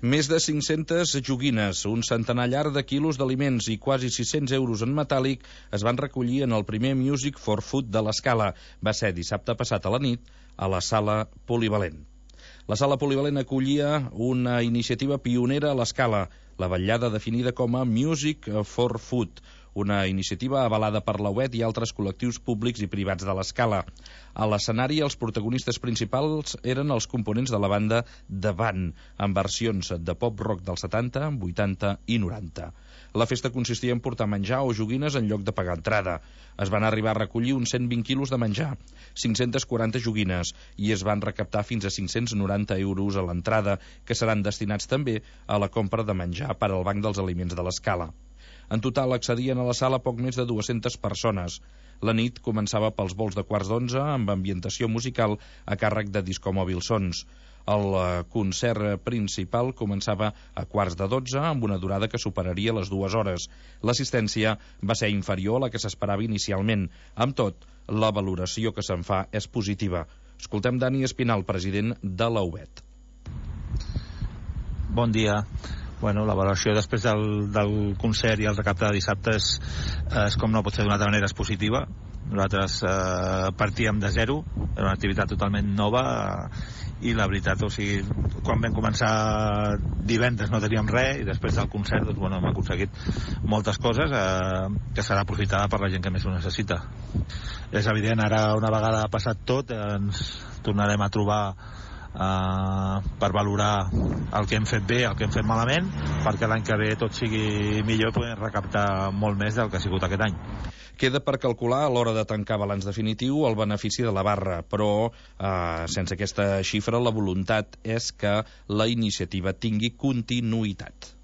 Més de 500 joguines, un centenar llarg de quilos d'aliments i quasi 600 euros en metàl·lic es van recollir en el primer Music for Food de l'Escala. Va ser dissabte passat a la nit a la sala polivalent. La sala polivalent acollia una iniciativa pionera a l'Escala, la vetllada definida com a Music for Food, una iniciativa avalada per la UET i altres col·lectius públics i privats de l'Escala. A l'escenari, els protagonistes principals eren els components de la banda The Band, amb versions de pop-rock dels 70, 80 i 90. La festa consistia en portar menjar o joguines en lloc de pagar entrada. Es van arribar a recollir uns 120 quilos de menjar, 540 joguines, i es van recaptar fins a 590 euros a l'entrada, que seran destinats també a la compra de menjar per al Banc dels Aliments de l'Escala. En total accedien a la sala poc més de 200 persones. La nit començava pels vols de 11:15 amb ambientació musical a càrrec de Discomòbil Sons. El concert principal començava a 11:45 amb una durada que superaria les 2 hores. L'assistència va ser inferior a la que s'esperava inicialment. Amb tot, la valoració que se'n fa és positiva. Escoltem Dani Espinal, president de la UET. Bon dia. Bueno, la valoració després del concert i el recapte de dissabte és com no pot ser d'una altra manera, és positiva. Nosaltres partíem de zero, era una activitat totalment nova i la veritat, o sigui, quan vam començar divendres no teníem res i després del concert doncs, bueno, hem aconseguit moltes coses que serà aprofitada per la gent que més ho necessita. És evident, ara una vegada passat tot ens tornarem a trobar per valorar el que hem fet bé, el que hem fet malament, perquè l'any que ve tot sigui millor i podem recaptar molt més del que ha sigut aquest any. Queda per calcular a l'hora de tancar balanç definitiu el benefici de la barra, però sense aquesta xifra la voluntat és que la iniciativa tingui continuïtat.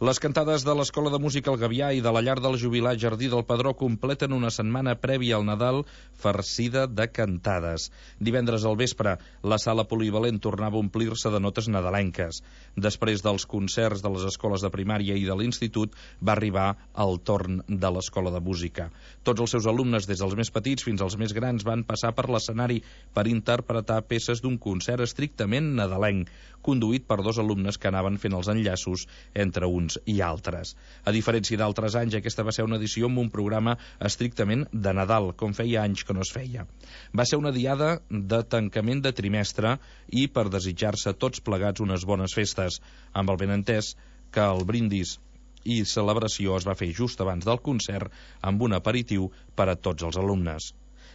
Les cantades de l'Escola de Música El Gavià i de la Llar del Jubilat Jardí del Pedró completen una setmana prèvia al Nadal farcida de cantades. Divendres al vespre, la sala polivalent tornava a omplir-se de notes nadalenques. Després dels concerts de les escoles de primària i de l'institut, va arribar el torn de l'Escola de Música. Tots els seus alumnes, des dels més petits fins als més grans, van passar per l'escenari per interpretar peces d'un concert estrictament nadalenc, conduït per 2 alumnes que anaven fent els enllaços entre uns i altres. A diferència d'altres anys, aquesta va ser una edició amb un programa estrictament de Nadal, com feia anys que no es feia. Va ser una diada de tancament de trimestre i per desitjar-se tots plegats unes bones festes, amb el benentès que el brindis i celebració es va fer just abans del concert amb un aperitiu per a tots els alumnes.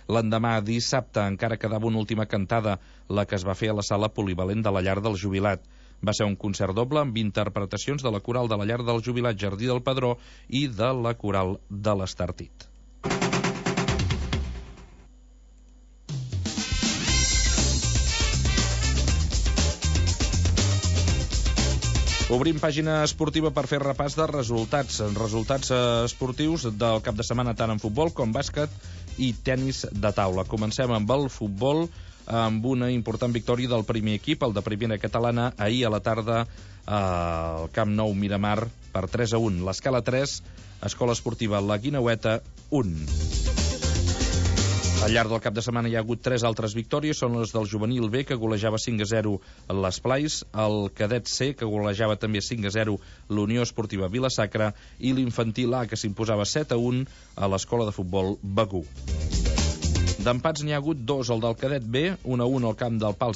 L'endemà, dissabte, encara quedava una última cantada, la que es va fer a la sala polivalent de la Llar del Jubilat. Va ser un concert doble amb interpretacions de la coral de la Llar del Jubilat Jardí del Pedró i de la coral de l'Estartit. Obrim pàgina esportiva per fer repàs de resultats esportius del cap de setmana tant en futbol com bàsquet i tennis de taula. Comencem amb el futbol, amb una important victòria del primer equip, el de primera catalana, ahir a la tarda al Camp Nou Miramar per 3-1. L'Escala 3, Escola Esportiva La Guineueta 1. Al llarg del cap de setmana hi ha hagut 3 altres victòries, són les del juvenil B, que golejava 5-0 l'Esplais, el cadet C, que golejava també 5-0 l'Unió Esportiva Vila-sacra, i l'infantil A, que s'imposava 7-1 a l'Escola de Futbol Begur. D'empats n'hi ha hagut 2, el del cadet B, 1-1 al camp del Pals